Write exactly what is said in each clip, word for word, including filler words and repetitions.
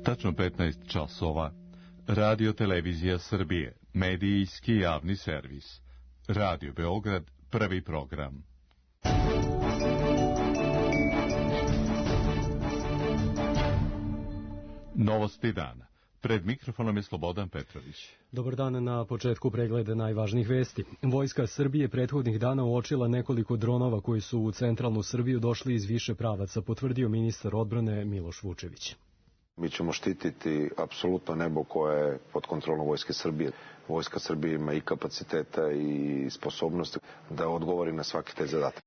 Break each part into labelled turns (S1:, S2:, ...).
S1: Tačno petnaest časova. Radio Televizija Srbije, medijski javni servis. Radio Beograd, prvi program. Novosti dana. Pred mikrofonom je Slobodan Petrović.
S2: Dobar dan, na početku pregleda najvažnijih vesti. Vojska Srbije prethodnih dana uočila nekoliko dronova koji su u centralnu Srbiju došli iz više pravaca, potvrdio ministar odbrane Miloš Vučević.
S3: Mi ćemo štititi apsolutno nebo koje je pod kontrolom Vojske Srbije. Vojska Srbije ima i kapaciteta i sposobnosti da odgovori na svaki te zadatak.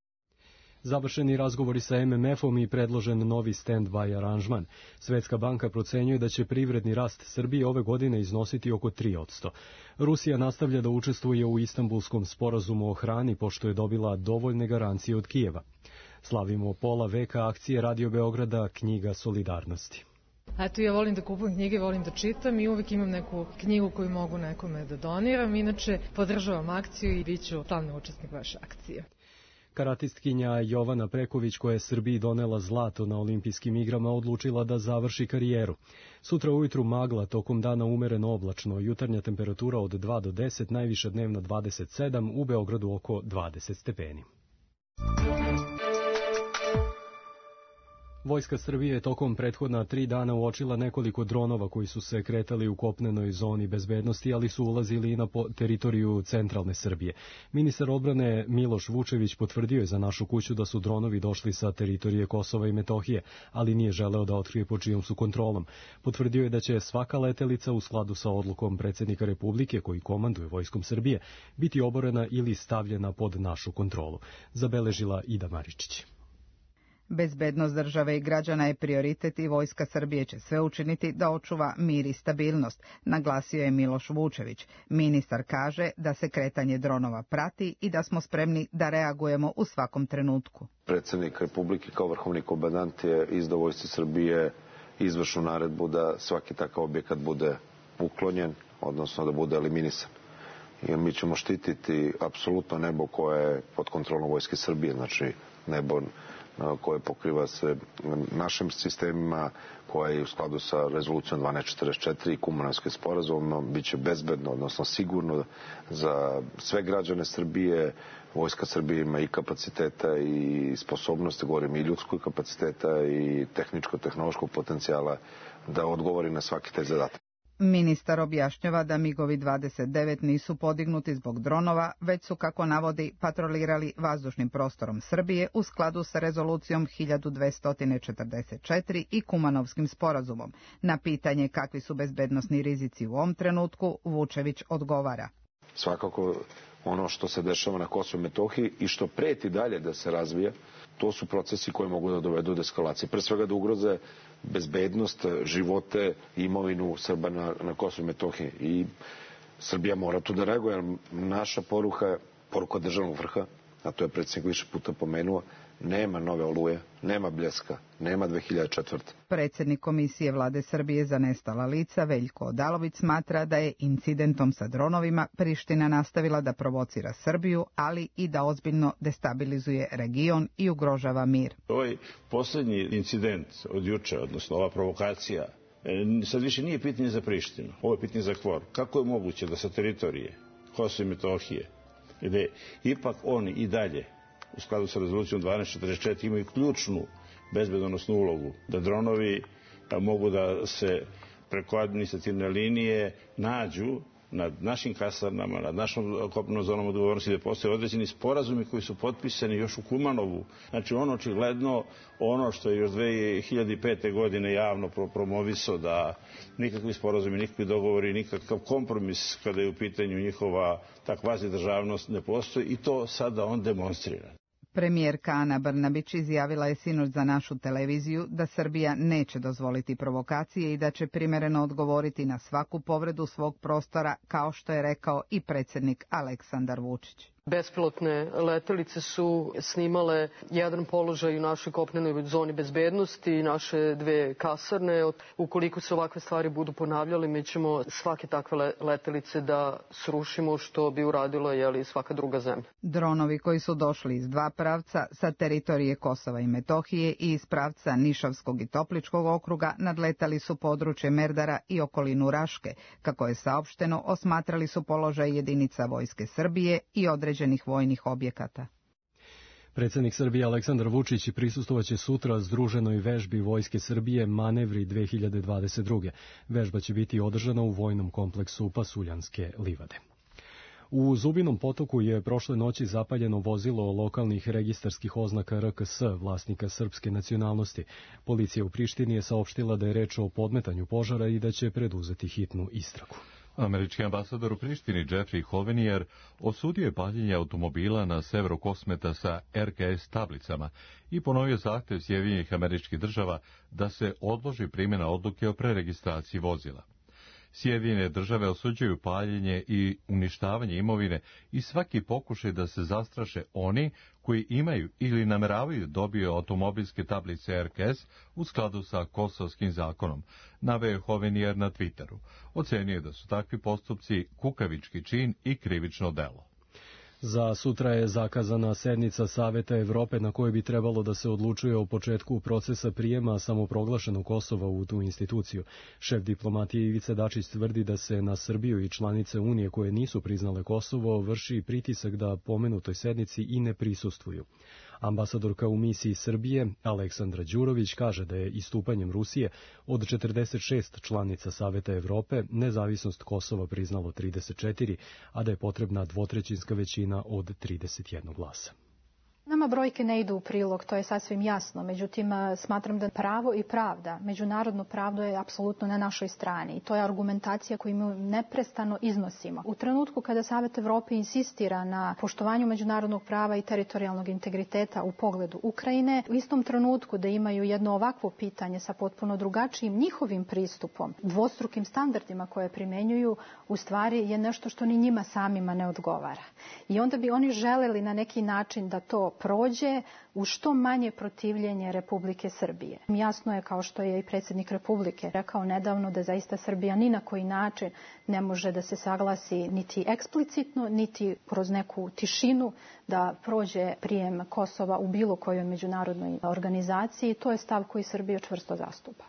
S2: Završeni razgovori sa M M F-om i predložen novi stand-by aranžman. Svetska banka procenjuje da će privredni rast Srbije ove godine iznositi oko tri posto. Rusija nastavlja da učestvuje u Istanbulskom sporazumu o hrani pošto je dobila dovoljne garancije od Kijeva. Slavimo pola veka akcije Radio Beograda Knjiga solidarnosti.
S4: Eto, ja volim da kupujem knjige, volim da čitam i uvek imam neku knjigu koju mogu nekome da doniram. Inače, podržavam akciju i bit ću stalni učesnik vaše akcije.
S2: Karatistkinja Jovana Preković, koja je Srbiji donela zlato na olimpijskim igrama, odlučila da završi karijeru. Sutra ujutru magla, tokom dana umereno oblačno, jutarnja temperatura od dva do deset, najviša dnevna dvadeset sedam, u Beogradu oko dvadeset stepeni. Vojska Srbije je tokom prethodna tri dana uočila nekoliko dronova koji su se kretali u kopnenoj zoni bezbednosti, ali su ulazili i na teritoriju centralne Srbije. Ministar odbrane Miloš Vučević potvrdio je za našu kuću da su dronovi došli sa teritorije Kosova i Metohije, ali nije želeo da otkrije pod čijom su kontrolom. Potvrdio je da će svaka letelica u skladu sa odlukom predsjednika Republike, koji komanduje Vojskom Srbije, biti oborena ili stavljena pod našu kontrolu. Zabeležila Ida Maričić.
S5: Bezbednost države i građana je prioritet i Vojska Srbije će sve učiniti da očuva mir i stabilnost, naglasio je Miloš Vučević. Ministar kaže da se kretanje dronova prati i da smo spremni da reagujemo u svakom trenutku.
S3: Predsjednik Republike kao vrhovni komandant je izdao Vojsci Srbije izvršnu naredbu da svaki takav objekat bude uklonjen, odnosno da bude eliminisan. I mi ćemo štititi apsolutno nebo koje je pod kontrolom Vojske Srbije, znači nebo koje pokriva se našim sistemima, koje je u skladu sa rezolucijom dvanaest četrdeset četiri i Kumanovskim sporazumom, bit će bezbedno, odnosno sigurno za sve građane Srbije. Vojska Srbije ima i kapaciteta i sposobnosti, govorim i ljudskog kapaciteta i tehničko-tehnološkog potencijala da odgovori na svaki taj zadatak.
S5: Ministar objašnjava da migovi dvadeset devet nisu podignuti zbog dronova, već su, kako navodi, patrolirali vazdušnim prostorom Srbije u skladu sa rezolucijom hiljadu dvesta četrdeset četiri i Kumanovskim sporazumom. Na pitanje kakvi su bezbednosni rizici u ovom trenutku, Vučević odgovara.
S3: Svakako ono što se dešava na Kosovu i Metohiji i što preti dalje da se razvija, to su procesi koji mogu da dovedu do eskalacije. Pre svega da ugroze bezbednost, živote i imovinu Srba na, na Kosovu i Metohiji. I Srbija mora tu da reaguje, jer naša poruka, poruka državnog vrha, a to je predsjednik više puta pomenuo, nema nove Oluje, nema Bljeska, nema dve hiljade četvrte.
S5: Predsjednik Komisije Vlade Srbije za nestala lica Veljko Odalović smatra da je incidentom sa dronovima Priština nastavila da provocira Srbiju, ali i da ozbiljno destabilizuje region i ugrožava mir.
S6: Ovaj posljednji incident od juče, odnosno ova provokacija, sad više nije pitanje za Prištinu, ovo je pitanje za Kvor. Kako je moguće da sa teritorije Kosova i Metohije, gde ipak oni i dalje u skladu sa rezolucijom dvanaest četrdeset četiri imaju ključnu bezbednosnu ulogu, da dronovi mogu da se preko administrativne linije nađu nad našim kasarnama, nad našom kopnenom zonom odgovornosti, da postoje određeni sporazumi koji su potpisani još u Kumanovu. Znači ono očigledno, ono što je još dve hiljade pete. godine javno promovisao, da nikakvi sporazumi, nikakvi dogovori, nikakav kompromis kada je u pitanju njihova takva državnost ne postoji, i to sada on demonstrira.
S5: Premijerka Ana Brnabić izjavila je sinoć za našu televiziju da Srbija neće dozvoliti provokacije i da će primereno odgovoriti na svaku povredu svog prostora, kao što je rekao i predsjednik Aleksandar Vučić.
S7: Bespilotne letelice su snimale jedan položaj u našoj kopnenoj zoni bezbednosti i naše dve kasarne. Ukoliko se ovakve stvari budu ponavljale, mi ćemo svake takve letelice da srušimo, što bi uradila jeli, svaka druga zemlja.
S5: Dronovi koji su došli iz dva pravca, sa teritorije Kosova i Metohije i iz pravca Nišavskog i Topličkog okruga, nadletali su područje Merdara i okolinu Raške. Kako je saopšteno, osmatrali su položaj jedinica Vojske Srbije i određenih vojnih objekata.
S2: Predsjednik Srbije Aleksandar Vučić prisustvovaće sutra združenoj vežbi Vojske Srbije Manevri dve hiljade dvadeset druge. Vežba će biti održana u vojnom kompleksu Pasuljanske livade. U Zubinom Potoku je prošle noći zapaljeno vozilo lokalnih registarskih oznaka R K S vlasnika srpske nacionalnosti. Policija u Prištini je saopštila da je reč o podmetanju požara i da će preduzeti hitnu istragu.
S1: Američki ambasador u Prištini Jeffrey Hovenier osudio je paljenje automobila na severu Kosmeta sa R K S tablicama i ponovio zahtev Sjedinjenih Američkih Država da se odloži primjena odluke o preregistraciji vozila. Sjedinjene Države osuđuju paljenje i uništavanje imovine i svaki pokušaj da se zastraše oni koji imaju ili nameravaju dobiju automobilske tablice R K S u skladu sa kosovskim zakonom, naveo Hovenier na Twitteru. Ocenio je da su takvi postupci kukavički čin i krivično delo.
S2: Za sutra je zakazana sednica Saveta Evrope na kojoj bi trebalo da se odlučuje o početku procesa prijema samoproglašenog Kosova u tu instituciju. Šef diplomatije Ivica Dačić tvrdi da se na Srbiju i članice Unije koje nisu priznale Kosovo vrši pritisak da pomenutoj sednici i ne prisustvuju. Ambasadorka u misiji Srbije, Aleksandra Đurović, kaže da je istupanjem Rusije od četrdeset šest članica Saveta Evrope nezavisnost Kosova priznalo trideset četiri, a da je potrebna dvotrećinska većina od trideset jedan glasa.
S8: Nama brojke ne idu u prilog, to je sasvim jasno. Međutim, smatram da pravo i pravda, međunarodno pravdo je apsolutno na našoj strani. I to je argumentacija koju mi neprestano iznosimo. U trenutku kada Savet Evrope insistira na poštovanju međunarodnog prava i teritorijalnog integriteta u pogledu Ukrajine, u istom trenutku da imaju jedno ovakvo pitanje sa potpuno drugačijim njihovim pristupom, dvostrukim standardima koje primenjuju, u stvari je nešto što ni njima samima ne odgovara. I onda bi oni želeli na neki način da to prođe u što manje protivljenje Republike Srbije. Jasno je, kao što je i predsjednik Republike rekao nedavno, da zaista Srbija ni na koji način ne može da se saglasi niti eksplicitno, niti kroz neku tišinu da prođe prijem Kosova u bilo kojoj međunarodnoj organizaciji. To je stav koji Srbija čvrsto zastupa.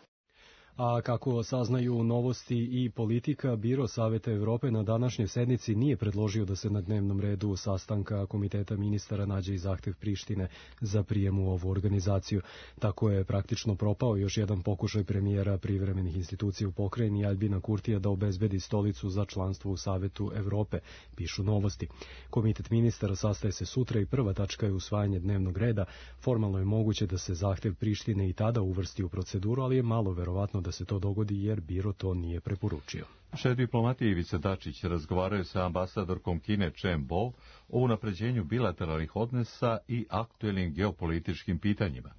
S2: A kako saznaju Novosti i Politika, Biro Saveta Evrope na današnjoj sednici nije predložio da se na dnevnom redu sastanka Komiteta ministara nađe i zahtev Prištine za prijem u ovu organizaciju. Tako je praktično propao još jedan pokušaj premijera privremenih institucija u pokrajini Aljbina Kurtija da obezbedi stolicu za članstvo u Savetu Evrope, pišu Novosti. Komitet ministara sastaje se sutra i prva tačka je usvajanje dnevnog reda. Formalno je moguće da se zahtev Prištine i tada uvrsti u proceduru, ali je malo verovatno da se to dogodi jer Biro to nije preporučio.
S1: Šef diplomatije Ivica Dačić razgovarao je sa ambasadorkom Kine Chen Bo o unapređenju bilateralnih odnosa i aktuelnim geopolitičkim pitanjima.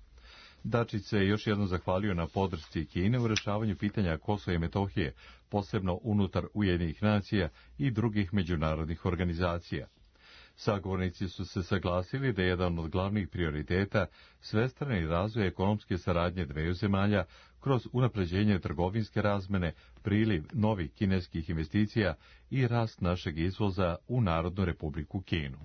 S1: Dačić se još jednom zahvalio na podršci Kine u rešavanju pitanja Kosova i Metohije, posebno unutar Ujedinjenih nacija i drugih međunarodnih organizacija. Sagovornici su se saglasili da je jedan od glavnih prioriteta svestrani razvoj ekonomske saradnje dveju zemalja kroz unapređenje trgovinske razmene, priliv novih kineskih investicija i rast našeg izvoza u Narodnu Republiku Kinu.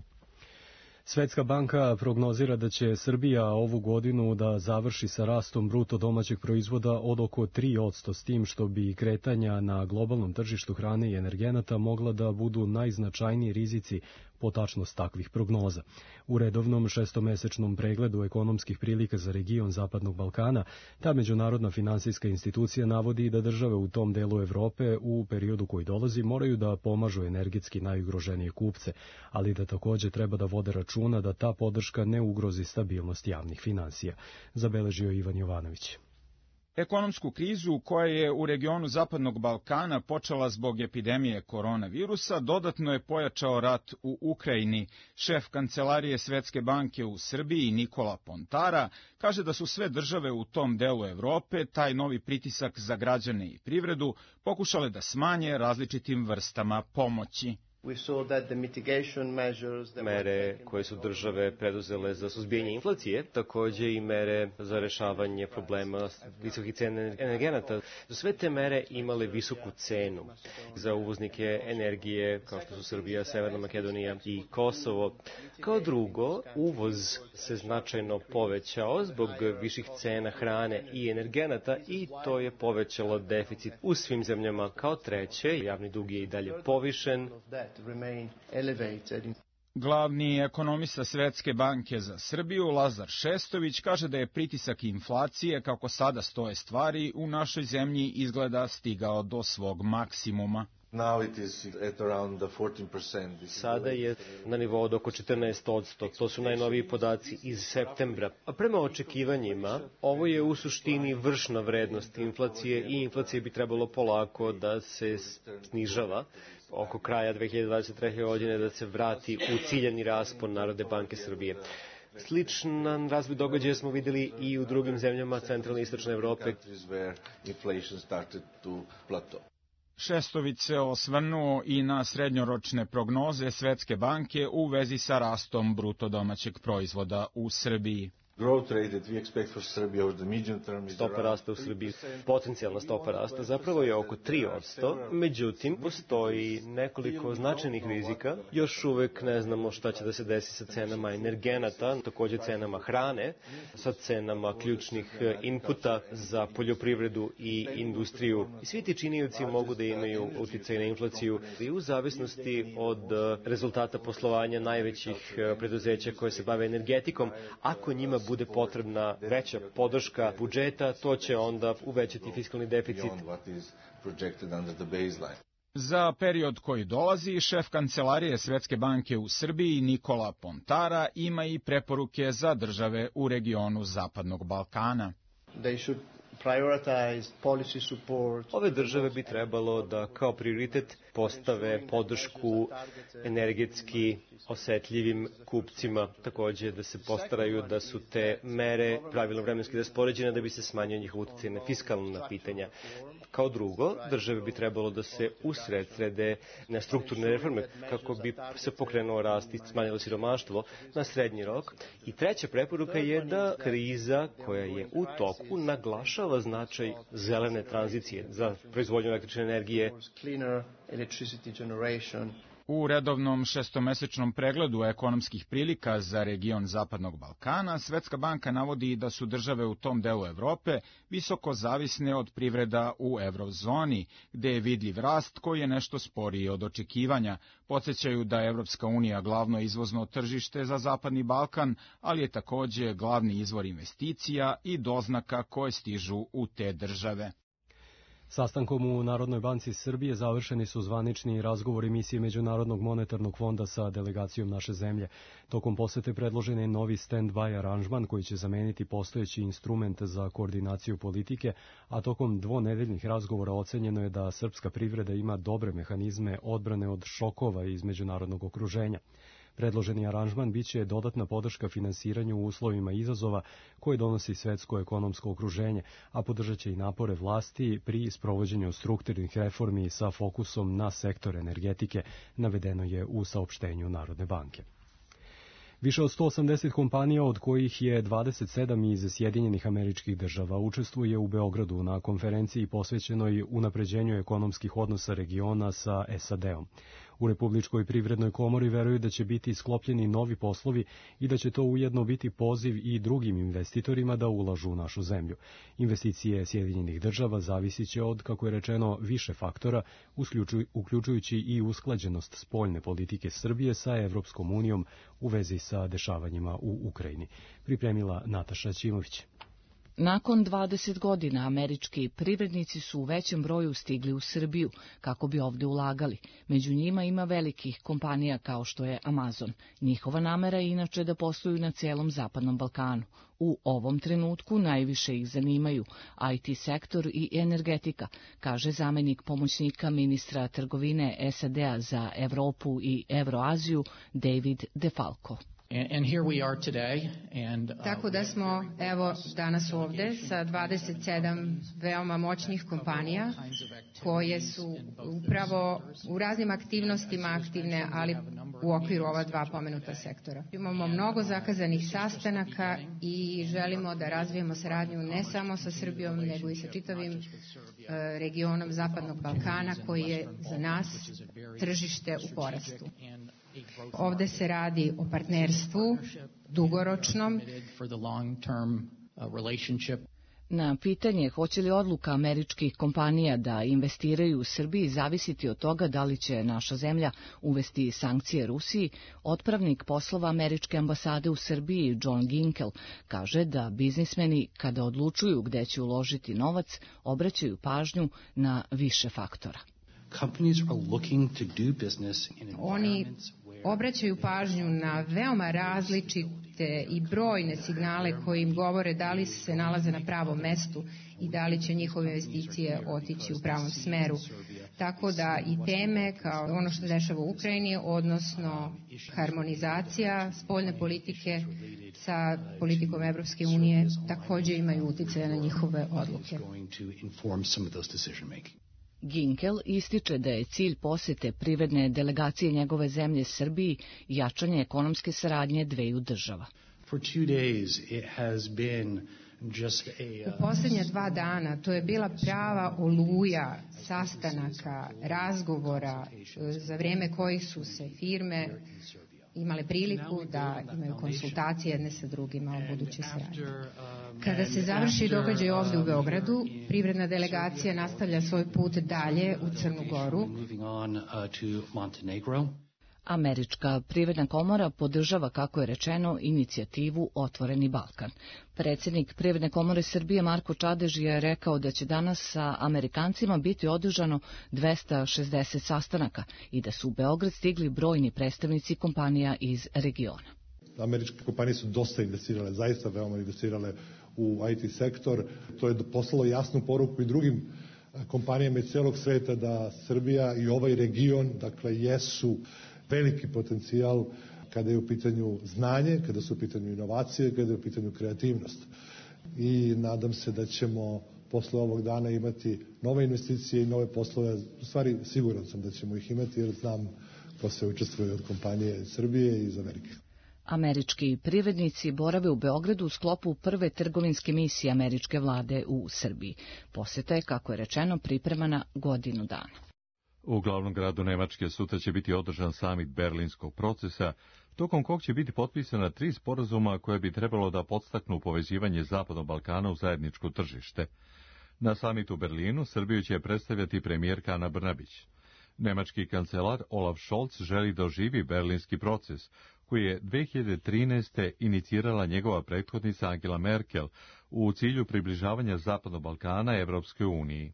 S2: Svetska banka prognozira da će Srbija ovu godinu da završi sa rastom bruto domaćeg proizvoda od oko tri posto, s tim što bi kretanja na globalnom tržištu hrane i energenata mogla da budu najznačajniji rizici po tačnost takvih prognoza. U redovnom šestomesečnom pregledu ekonomskih prilika za region Zapadnog Balkana, ta međunarodna finansijska institucija navodi da države u tom delu Evrope u periodu koji dolazi moraju da pomažu energetski najugroženije kupce, ali da takođe treba da vode računa da ta podrška ne ugrozi stabilnost javnih finansija, zabeležio Ivan Jovanović.
S9: Ekonomsku krizu koja je u regionu Zapadnog Balkana počela zbog epidemije koronavirusa dodatno je pojačao rat u Ukrajini. Šef Kancelarije Svetske banke u Srbiji Nikola Pontara kaže da su sve države u tom delu Evrope taj novi pritisak za građane i privredu pokušale da smanje različitim vrstama pomoći.
S10: Mere koje su države preduzele za suzbijanje inflacije, takođe i mere za rešavanje problema visokih cena energenata. Sve te mere imale visoku cenu za uvoznike energije kao što su Srbija, Severna Makedonija i Kosovo. Kao drugo, uvoz se značajno povećao zbog viših cena hrane i energenata i to je povećalo deficit u svim zemljama. Kao treće, javni dug je i dalje povišen.
S9: Glavni ekonomista Svetske banke za Srbiju, Lazar Šestović, kaže da je pritisak inflacije, kako sada stoje stvari, u našoj zemlji izgleda stigao do svog maksimuma.
S10: Sada je na nivou od oko četrnaest posto. To su najnoviji podaci iz septembra. A prema očekivanjima, ovo je u suštini vršna vrednost inflacije i inflacije bi trebalo polako da se snižava oko kraja dve hiljade dvadeset treće. godine da se vrati u ciljani raspon Narodne banke Srbije. Sličan razvoj događaja smo videli i u drugim zemljama centralne i istočne Evrope.
S9: Šestović se osvrnuo i na srednjoročne prognoze Svetske banke u vezi sa rastom bruto domaćeg proizvoda u Srbiji.
S10: Stopa rasta u Srbiji, potencijalna stopa rasta, zapravo je oko tri posto, međutim, postoji nekoliko značajnih rizika. Još uvek ne znamo šta će da se desi sa cenama energenata, takođe cenama hrane, sa cenama ključnih inputa za poljoprivredu i industriju. I svi ti činioci mogu da imaju uticaj na inflaciju i u zavisnosti od rezultata poslovanja najvećih preduzeća koje se bave energetikom. Ako njima bude potrebna veća podrška budžeta, to će onda uvećati fiskalni deficit.
S9: Za period koji dolazi, šef kancelarije Svetske banke u Srbiji Nikola Pontara ima i preporuke za države u regionu Zapadnog Balkana.
S10: Ove države bi trebalo da kao prioritet postave podršku energetski osetljivim kupcima, takođe da se postaraju da su te mere pravilno vremenski raspoređene da bi se smanjio njihov uticaj na fiskalna pitanja. Kao drugo, države bi trebalo da se usredsrede na strukturne reforme kako bi se pokrenuo rast i smanjilo siromaštvo na srednji rok. I treća preporuka je da kriza koja je u toku naglašava značaj zelene tranzicije za proizvodnju električne energije.
S9: U redovnom šestomesečnom pregledu ekonomskih prilika za region Zapadnog Balkana, Svetska banka navodi da su države u tom delu Evrope visoko zavisne od privreda u evrozoni, gde je vidljiv rast koji je nešto sporiji od očekivanja. Podsjećaju da je Evropska unija glavno izvozno tržište za Zapadni Balkan, ali je takođe glavni izvor investicija i doznaka koje stižu u te države.
S2: Sastankom u Narodnoj banci Srbije završeni su zvanični razgovori misije Međunarodnog monetarnog fonda sa delegacijom naše zemlje. Tokom posete predložen je novi stand-by aranžman koji će zameniti postojeći instrument za koordinaciju politike, a tokom dvonedeljnih razgovora ocenjeno je da srpska privreda ima dobre mehanizme odbrane od šokova iz međunarodnog okruženja. Predloženi aranžman biće dodatna podrška finansiranju u uslovima izazova koje donosi svetsko ekonomsko okruženje, a podržat će i napore vlasti pri sprovođenju strukturnih reformi sa fokusom na sektor energetike, navedeno je u saopštenju Narodne banke. Više od sto osamdeset kompanija, od kojih je dvadeset sedam iz Sjedinjenih Američkih Država, učestvuje u Beogradu na konferenciji posvećenoj unapređenju ekonomskih odnosa regiona sa S A D-om. U Republičkoj privrednoj komori veruju da će biti sklopljeni novi poslovi i da će to ujedno biti poziv i drugim investitorima da ulažu u našu zemlju. Investicije Sjedinjenih Država zavisit će od, kako je rečeno, više faktora, uključujući i usklađenost spoljne politike Srbije sa Evropskom unijom u vezi sa dešavanjima u Ukrajini. Pripremila Nataša Ćimović.
S11: Nakon dvadeset godina američki privrednici su u većem broju stigli u Srbiju kako bi ovde ulagali. Među njima ima velikih kompanija kao što je Amazon. Njihova namera je inače da posluju na cijelom Zapadnom Balkanu. U ovom trenutku najviše ih zanimaju I T sektor i energetika, kaže zamenik pomoćnika ministra trgovine S A D-a za Evropu i Evroaziju David DeFalco.
S12: And here we are today, and, uh,
S13: Tako da smo, evo, danas ovde sa dvadeset sedam veoma moćnih kompanija koje su upravo u raznim aktivnostima aktivne, ali u okviru ova dva pomenuta sektora. Imamo mnogo zakazanih sastanaka i želimo da razvijemo saradnju ne samo sa Srbijom, nego i sa čitavim uh, regionom Zapadnog Balkana, koji je za nas tržište u porastu. Ovde se radi o partnerstvu dugoročnom.
S11: Na pitanje hoće li odluka američkih kompanija da investiraju u Srbiji zavisiti od toga da li će naša zemlja uvesti sankcije Rusiji, otpravnik poslova američke ambasade u Srbiji John Ginkel kaže da biznismeni kada odlučuju gde će uložiti novac obraćaju pažnju na više faktora.
S13: Oni obraćaju pažnju na veoma različite i brojne signale koji im govore da li se nalaze na pravom mestu i da li će njihove investicije otići u pravom smeru. Tako da i teme kao ono što se dešava u Ukrajini, odnosno harmonizacija spoljne politike sa politikom Evropske unije, takođe imaju uticaja na njihove odluke.
S11: Ginkel ističe da je cilj posete privredne delegacije njegove zemlje Srbiji jačanje ekonomske saradnje dveju država.
S13: U posljednja dva dana to je bila prava oluja sastanaka, razgovora za vreme kojih su se firme imale priliku da imaju konsultacije jedne sa drugima o budućoj saradnji. Kada se završi događaj ovde u Beogradu, privredna delegacija nastavlja svoj put dalje u Crnu Goru.
S11: Američka privredna komora podržava, kako je rečeno, inicijativu Otvoreni Balkan. Predsjednik Privredne komore Srbije Marko Čadež je rekao da će danas sa Amerikancima biti održano dvesta šezdeset sastanaka i da su u Beograd stigli brojni predstavnici kompanija iz regiona.
S14: Američke kompanije su dosta investirale, zaista veoma investirale u I T sektor. To je poslalo jasnu poruku i drugim kompanijama iz celog sveta da Srbija i ovaj region, dakle, jesu veliki potencijal kada je u pitanju znanje, kada su u pitanju inovacije, kada je u pitanju kreativnost. I nadam se da ćemo posle ovog dana imati nove investicije i nove poslove. U stvari, siguran sam da ćemo ih imati jer znam ko se učestvuje od kompanije Srbije i iz Amerike.
S11: Američki privrednici borave u Beogradu u sklopu prve trgovinske misije američke vlade u Srbiji. Poseta je, kako je rečeno, pripremana godinu dana.
S1: U glavnom gradu Nemačke sutra će biti održan samit berlinskog procesa, tokom kog će biti potpisana tri sporazuma koje bi trebalo da podstaknu povezivanje Zapadnog Balkana u zajedničko tržište. Na samitu u Berlinu Srbiju će predstavljati premijerka Ana Brnabić. Nemački kancelar Olaf Scholz želi da oživi berlinski proces, koji je dve hiljade trinaeste. inicirala njegova prethodnica Angela Merkel u cilju približavanja Zapadnog Balkana Evropskoj uniji.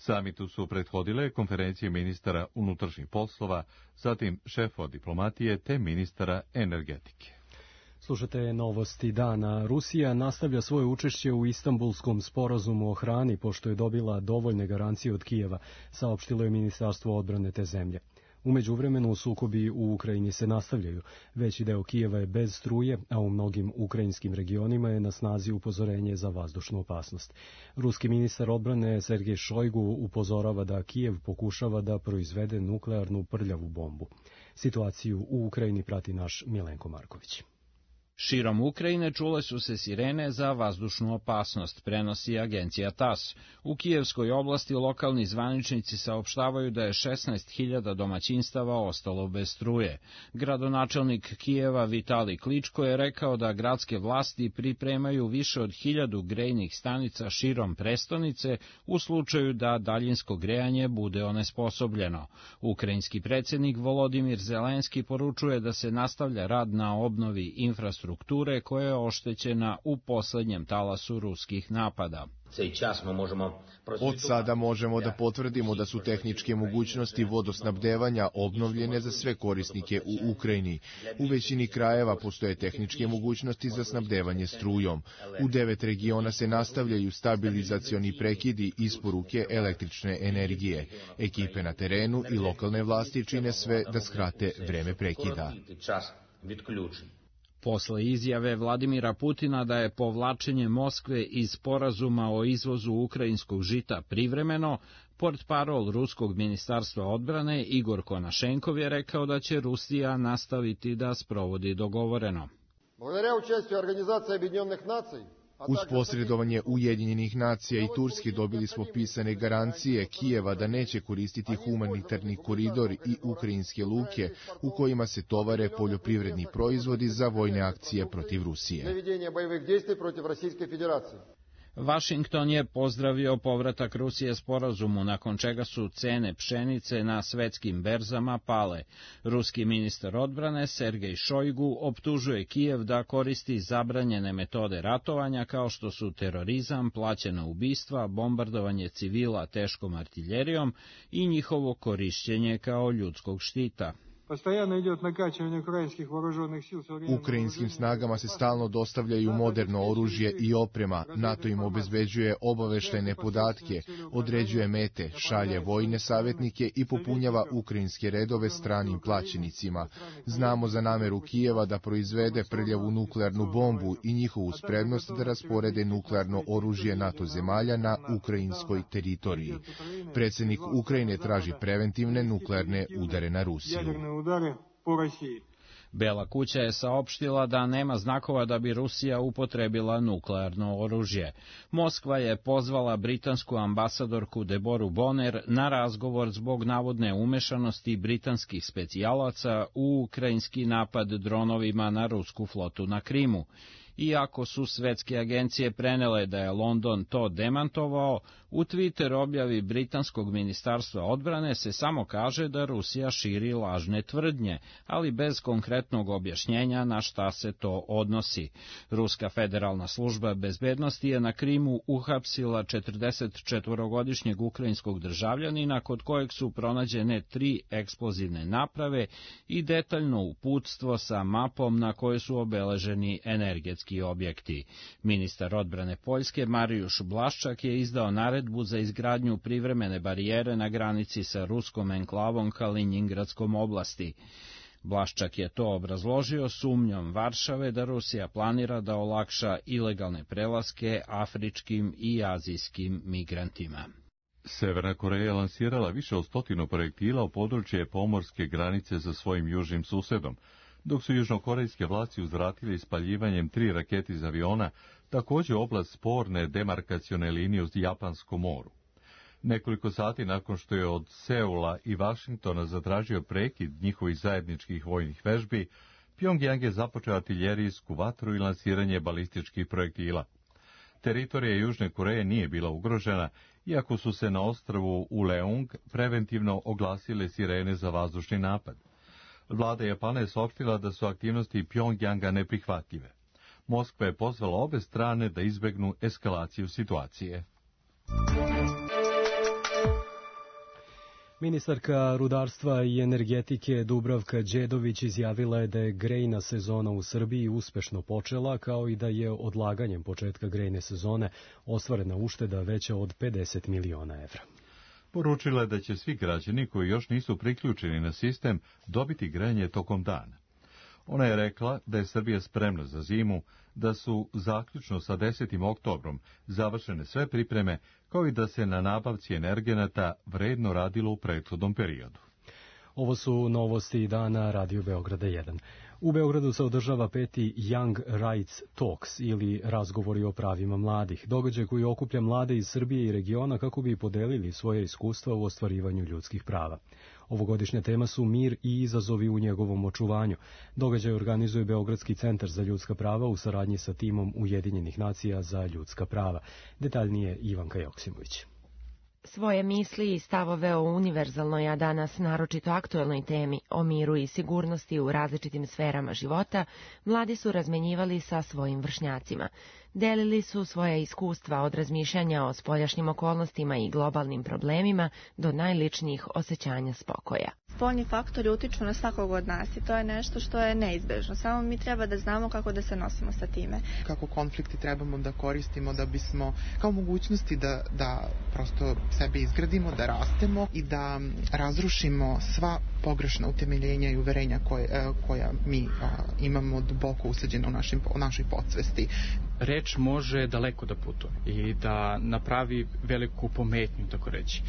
S1: Samitu su prethodile konferencije ministara unutrašnjih poslova, zatim šefova diplomatije te ministara energetike.
S2: Slušate novosti dana. Rusija nastavlja svoje učešće u Istanbulskom sporazumu o hrani, pošto je dobila dovoljne garancije od Kijeva, saopštilo je Ministarstvo odbrane te zemlje. U međuvremenu sukobi u Ukrajini se nastavljaju. Veći deo Kijeva je bez struje, a u mnogim ukrajinskim regionima je na snazi upozorenje za vazdušnu opasnost. Ruski ministar odbrane Sergej Šojgu upozorava da Kijev pokušava da proizvede nuklearnu prljavu bombu. Situaciju u Ukrajini prati naš Milenko Marković.
S9: Širom Ukrajine čule su se sirene za vazdušnu opasnost, prenosi agencija TAS. U Kijevskoj oblasti lokalni zvaničnici saopštavaju da je šesnaest hiljada domaćinstava ostalo bez struje. Gradonačelnik Kijeva Vitali Kličko je rekao da gradske vlasti pripremaju više od hiljadu grejnih stanica širom prestonice u slučaju da daljinsko grejanje bude onesposobljeno. Ukrajinski predsjednik Volodimir Zelenski poručuje da se nastavlja rad na obnovi infrastrukture strukture koja je oštećena u poslednjem talasu ruskih napada.
S15: Od sada možemo da potvrdimo da su tehničke mogućnosti vodosnabdevanja obnovljene za sve korisnike u Ukrajini. U većini krajeva postoje tehničke mogućnosti za snabdevanje strujom. U devet regiona se nastavljaju stabilizacioni prekidi isporuke električne energije. Ekipe na terenu i lokalne vlasti čine sve da skrate vreme prekida.
S16: Posle izjave Vladimira Putina da je povlačenje Moskve iz sporazuma o izvozu ukrajinskog žita privremeno, portparol Ruskog ministarstva odbrane Igor Konašenkov je rekao da će Rusija nastaviti da sprovodi dogovoreno.
S15: Uz posredovanje Ujedinjenih nacija i Turske dobili smo pisane garancije Kijeva da neće koristiti humanitarni koridor i ukrajinske luke u kojima se tovare poljoprivredni proizvodi za vojne akcije protiv Rusije.
S16: Vašington je pozdravio povratak Rusije sporazumu, nakon čega su cene pšenice na svetskim berzama pale. Ruski ministar odbrane Sergej Šojgu optužuje Kijev da koristi zabranjene metode ratovanja kao što su terorizam, plaćena ubistva, bombardovanje civila teškom artiljerijom i njihovo korišćenje kao ljudskog štita.
S15: Ukrajinskim snagama se stalno dostavljaju moderno oružje i oprema, NATO im obezbeđuje obaveštajne podatke, određuje mete, šalje vojne savjetnike i popunjava ukrajinske redove stranim plaćenicima. Znamo za nameru Kijeva da proizvede prljavu nuklearnu bombu i njihovu spremnost da rasporede nuklearno oružje NATO zemalja na ukrajinskoj teritoriji. Predsjednik Ukrajine traži preventivne nuklearne udare na Rusiju.
S16: Bela kuća je saopštila da nema znakova da bi Rusija upotrebila nuklearno oružje. Moskva je pozvala britansku ambasadorku Deboru Bonner na razgovor zbog navodne umešanosti britanskih specijalaca u ukrajinski napad dronovima na rusku flotu na Krimu. Iako su svetske agencije prenele da je London to demantovao, u Twitter objavi britanskog ministarstva odbrane se samo kaže da Rusija širi lažne tvrdnje, ali bez konkretnog objašnjenja na šta se to odnosi. Ruska federalna služba bezbednosti je na Krimu uhapsila četrdesetčetvorogodišnjeg ukrajinskog državljanina kod kojeg su pronađene tri eksplozivne naprave i detaljno uputstvo sa mapom na kojoj su obeleženi energetski objekti. Ministar odbrane Poljske Marijuš Blaščak je izdao naredbu za izgradnju privremene barijere na granici sa ruskom enklavom Kaliningradskom oblasti. Blaščak je to obrazložio sumnjom Varšave da Rusija planira da olakša ilegalne prelaske afričkim i azijskim migrantima.
S1: Severna Koreja je lansirala više od stotinu projektila u područje pomorske granice sa svojim južnim susedom, dok su južnokorejske vlasti uzvratile ispaljivanjem tri rakete iz aviona, također oblast sporne demarkacione linije u Japanskom moru. Nekoliko sati nakon što je od Seula i Vašingtona zatražio prekid njihovih zajedničkih vojnih vežbi, Pjongjang je započeo artiljerijsku vatru i lansiranje balističkih projektila. Teritorija Južne Koreje nije bila ugrožena, iako su se na ostrvu Uleung preventivno oglasile sirene za vazdušni napad. Vlada Japana je saopštila da su aktivnosti Pjongjanga neprihvatljive. Moskva je pozvala obe strane da izbegnu eskalaciju situacije.
S2: Ministarka rudarstva i energetike Dubravka Đedović izjavila je da je grejna sezona u Srbiji uspešno počela, kao i da je odlaganjem početka grejne sezone ostvarena ušteda veća od pedeset miliona evra.
S1: Poručila je da će svi građani koji još nisu priključeni na sistem dobiti grejanje tokom dana. Ona je rekla da je Srbija spremna za zimu, da su zaključno sa desetim oktobrom završene sve pripreme, kao i da se na nabavci energenata vredno radilo u prethodnom periodu.
S2: Ovo su novosti dana Radio Beograda jedan. U Beogradu se održava peti Young Rights Talks ili razgovori o pravima mladih, događaj koji okuplja mlade iz Srbije i regiona kako bi podelili svoje iskustva u ostvarivanju ljudskih prava. Ovogodišnja tema su mir i izazovi u njegovom očuvanju. Događaj organizuje Beogradski centar za ljudska prava u saradnji sa timom Ujedinjenih nacija za ljudska prava. Detaljnije Ivanka Joksimović.
S17: Svoje misli i stavove o univerzalnoj, a danas naročito aktuelnoj temi o miru i sigurnosti u različitim sferama života, mladi su razmenjivali sa svojim vršnjacima. Delili su svoja iskustva od razmišljanja o spoljašnjim okolnostima i globalnim problemima do najličnijih osjećanja spokoja.
S18: Spoljni faktori utiču na svakog od nas i to je nešto što je neizbežno. Samo mi treba da znamo kako da se nosimo sa time.
S19: Kako konflikti trebamo da koristimo da bismo, kao mogućnosti da, da prosto sebe izgradimo, da rastemo i da razrušimo sva pogrešna utemeljenja i uverenja koje, koja mi imamo duboko usađeno u, našim, u našoj podsvesti.
S20: Reč može daleko da putuje i da napravi veliku pometnju, tako reći.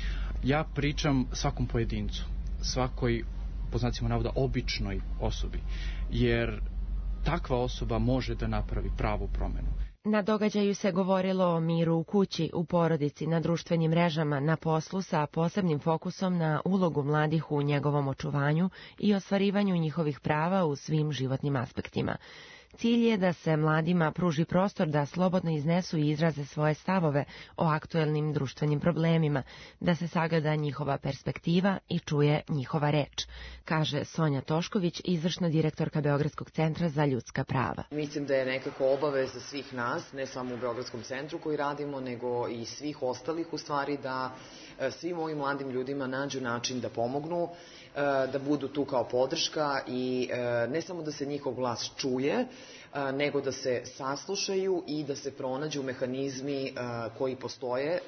S20: Ja pričam svakom pojedincu, svakoj, po znacima navoda, običnoj osobi, jer takva osoba može da napravi pravu promenu.
S17: Na događaju se govorilo o miru u kući, u porodici, na društvenim mrežama, na poslu sa posebnim fokusom na ulogu mladih u njegovom očuvanju i ostvarivanju njihovih prava u svim životnim aspektima. Cilj je da se mladima pruži prostor da slobodno iznesu i izraze svoje stavove o aktuelnim društvenim problemima, da se sagleda njihova perspektiva i čuje njihova reč, kaže Sonja Tošković, izvršna direktorka Beogradskog centra za ljudska prava.
S21: Mislim da je nekako obaveza svih nas, ne samo u Beogradskom centru koji radimo, nego i svih ostalih u stvari, da svim ovim mladim ljudima nađu način da pomognu, da budu tu kao podrška i ne samo da se njihov glas čuje, nego da se saslušaju i da se pronađu mehanizmi koji postoje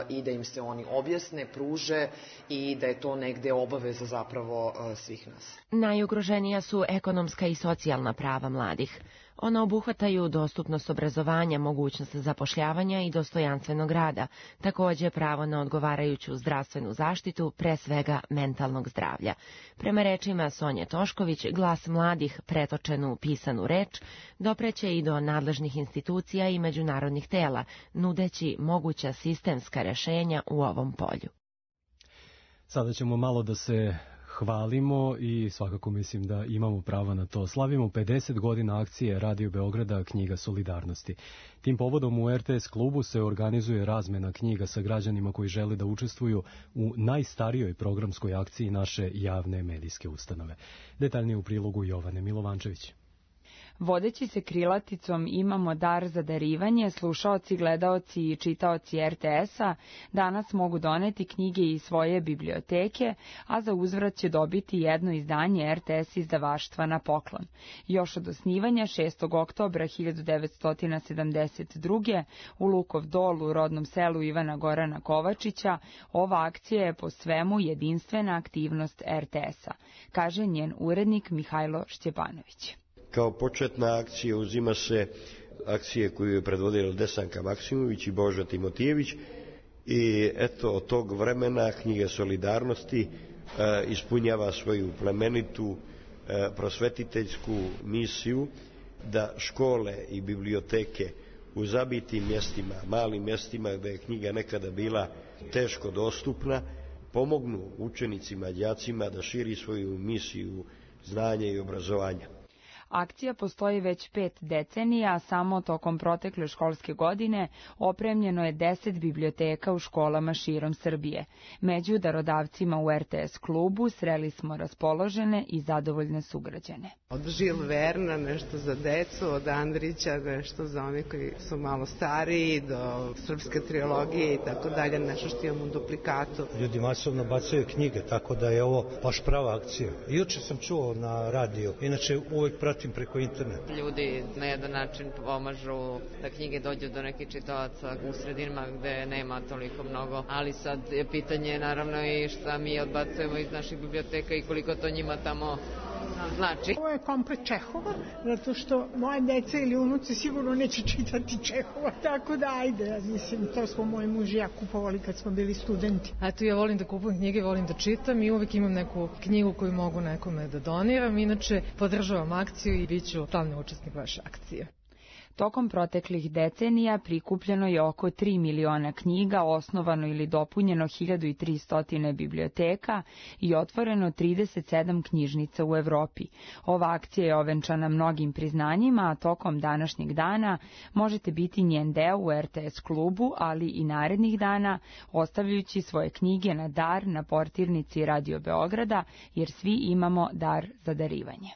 S21: i da im se oni objasne, pruže i da je to negde obaveza zapravo svih nas.
S17: Najugroženija su ekonomska i socijalna prava mladih. Ona obuhvataju dostupnost obrazovanja, mogućnost zapošljavanja i dostojanstvenog rada, takođe pravo na odgovarajuću zdravstvenu zaštitu, pre svega mentalnog zdravlja. Prema rečima Sonje Tošković, glas mladih, pretočen u pisanu reč, dopreće i do nadležnih institucija i međunarodnih tela, nudeći moguća sistemska rešenja u ovom polju.
S2: Sada ćemo malo da se hvalimo i svakako mislim da imamo prava na to. Slavimo pedeset godina akcije Radio Beograda Knjiga solidarnosti. Tim povodom u er te es klubu se organizuje razmena knjiga sa građanima koji žele da učestvuju u najstarijoj programskoj akciji naše javne medijske ustanove. Detaljnije u prilogu Jovane Milovančević.
S22: Vodeći se krilaticom Imamo dar za darivanje, slušaoci, gledaoci i čitaoci er te esa danas mogu doneti knjige iz svoje biblioteke, a za uzvrat će dobiti jedno izdanje er te es izdavaštva na poklon. Još od osnivanja šestog oktobra hiljadu devetsto sedamdeset druge. u Lukov Dol u rodnom selu Ivana Gorana Kovačića, ova akcija je po svemu jedinstvena aktivnost er te esa, kaže njen urednik Mihajlo Šćepanović.
S23: Kao početna akcija uzima se akcije koju je predvodila Desanka Maksimović i Boža Timotijević i eto od tog vremena Knjiga solidarnosti e, ispunjava svoju plemenitu e, prosvetiteljsku misiju da škole i biblioteke u zabitim mjestima, malim mjestima gde je knjiga nekada bila teško dostupna, pomognu učenicima, đacima da širi svoju misiju znanja i obrazovanja.
S22: Akcija postoji već pet decenija, a samo tokom protekle školske godine opremljeno je deset biblioteka u školama širom Srbije. Među darodavcima u er te es klubu sreli smo raspoložene i zadovoljne sugrađane.
S24: Od Žil Verna nešto za decu, od Andrića nešto za one koji su malo stariji, do srpske trilogije i tako dalje, nešto što imamo u duplikatu.
S25: Ljudi masovno bacaju knjige, tako da je ovo baš prava akcija. Juče sam čuo na radiju, inače uvek pratim preko interneta.
S26: Ljudi na jedan način pomažu da knjige dođu do nekih čitalaca u sredinama gde nema toliko mnogo, ali sad je pitanje naravno i šta mi odbacujemo iz naših biblioteka i koliko to njima tamo znači.
S27: Ovo je komplet Čehova, zato što moje dece ili unuci sigurno neće čitati Čehova, tako da ajde, mislim, to smo moj muž i ja kupovali kad smo bili studenti.
S4: Eto, ja volim da kupujem knjige, volim da čitam i uvek imam neku knjigu koju mogu nekome da doniram, inače podržavam akciju i bit ću stalni učesnik vaše akcije.
S22: Tokom proteklih decenija prikupljeno je oko tri miliona knjiga, osnovano ili dopunjeno hiljadu tristo biblioteka i otvoreno trideset sedam knjižnica u Evropi. Ova akcija je ovenčana mnogim priznanjima, a tokom današnjeg dana možete biti njen deo u er te es klubu, ali i narednih dana, ostavljajući svoje knjige na dar na portirnici Radio Beograda, jer svi imamo dar za darivanje.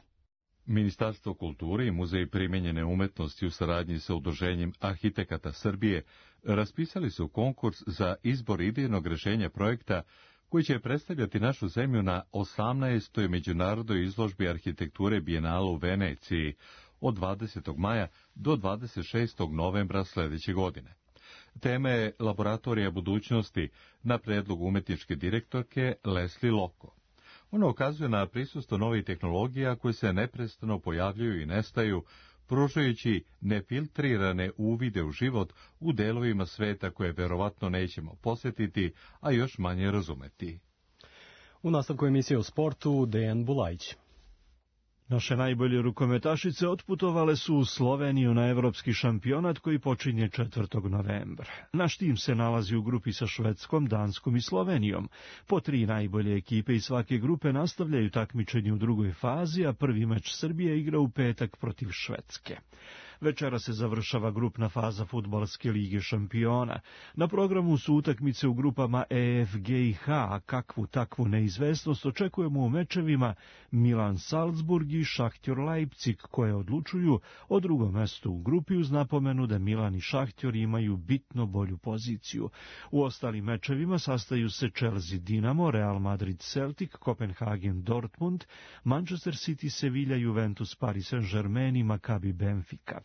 S1: Ministarstvo kulture i Muzej primenjene umetnosti u saradnji sa Udruženjem arhitekata Srbije raspisali su konkurs za izbor idejnog rešenja projekta koji će predstavljati našu zemlju na osamnaestoj međunarodnoj izložbi arhitekture Bijenala u Veneciji od dvadesetog maja do dvadeset šestog novembra sledeće godine. Tema je Laboratorija budućnosti na predlog umetničke direktorke Leslie Loko. Ono ukazuje na prisustvo novih tehnologija koje se neprestano pojavljuju i nestaju, pružajući nefiltrirane uvide u život u delovima sveta koje verovatno nećemo posjetiti, a još manje razumeti.
S2: U nastavku emisije o sportu, Dejan Bulajić.
S3: Naše najbolje rukometašice otputovale su u Sloveniju na evropski šampionat koji počinje četvrtog novembra. Naš tim se nalazi u grupi sa Švedskom, Danskom i Slovenijom. Po tri najbolje ekipe iz svake grupe nastavljaju takmičenje u drugoj fazi, a prvi meč Srbije igra u petak protiv Švedske. Večera se završava grupna faza fudbalske lige šampiona. Na programu su utakmice u grupama E, F, G i H, a kakvu takvu neizvesnost očekujemo u mečevima Milan-Salzburg i Šahtjor Leipzig, koje odlučuju o drugom mestu u grupi uz napomenu da Milan i Šahtjor imaju bitno bolju poziciju. U ostalim mečevima sastaju se Chelsea Dinamo, Real Madrid Celtic, Kopenhagen Dortmund, Manchester City Sevilla, Juventus Paris Saint-Germain i Maccabi Benfica.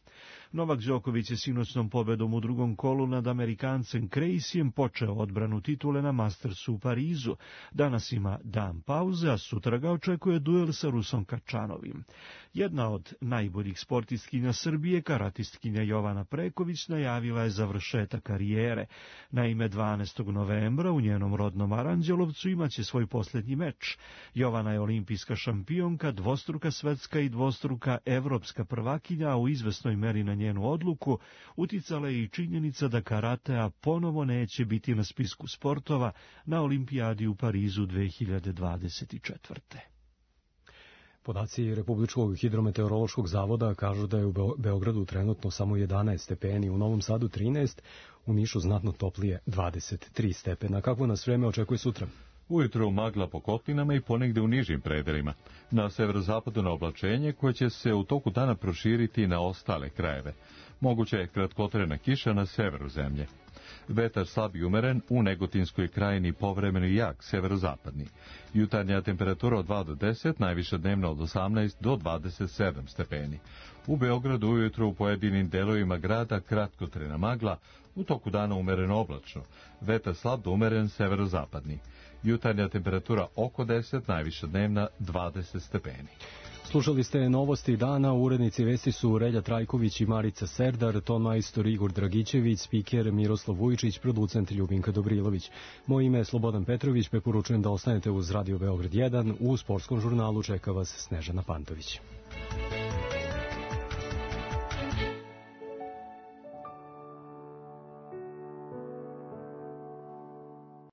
S3: Novak Đoković je sinoćnom pobedom u drugom kolu nad Amerikancem Krejsijem počeo odbranu titule na Mastersu u Parizu. Danas ima dan pauze, a sutra ga očekuje duel sa Rusom Kačanovim. Jedna od najboljih sportistkinja Srbije, karatistkinja Jovana Preković, najavila je završetak karijere. Naime, dvanaestog novembra u njenom rodnom Aranđelovcu imaće svoj posljednji meč. Jovana je olimpijska šampionka, dvostruka svetska i dvostruka evropska prvakinja, a u izvesnoj meri na njenu odluku uticala je i činjenica da karatea ponovo neće biti na spisku sportova na olimpijadi u Parizu dve hiljade dvadeset četvrte.
S2: Podaci Republičkog hidrometeorološkog zavoda kažu da je u Beogradu trenutno samo jedanaest stepeni, u Novom Sadu trinaest, u Nišu znatno toplije dvadeset tri stepena. Kako nas vreme očekuje sutra?
S1: Ujutro magla po kotlinama i ponegde u nižim predelima. Na severozapadu na oblačenje koje će se u toku dana proširiti na ostale krajeve. Moguće je kratkotrajna kiša na severu zemlje. Vetar slab i umeren, u Negotinskoj krajini povremeno jak, severozapadni. Jutarnja temperatura od dva do deset, najviša dnevna od osamnaest do dvadeset sedam stepeni. U Beogradu ujutro u pojedinim delovima grada kratkotrajna magla, u toku dana umereno oblačno. Vetar slab do umeren, severozapadni. Jutarnja temperatura oko deset, najviša dnevna dvadeset stepeni.
S2: Slušali ste novosti dana, urednici vesti su Relja Trajković i Marica Serdar, ton majstor Igor Dragićević, spiker Miroslav Vujičić, producent Ljubinka Dobrilović. Moje ime je Slobodan Petrović, preporučujem da ostanete uz Radio Beograd jedan, u sportskom žurnalu čeka vas Snežana Pantović.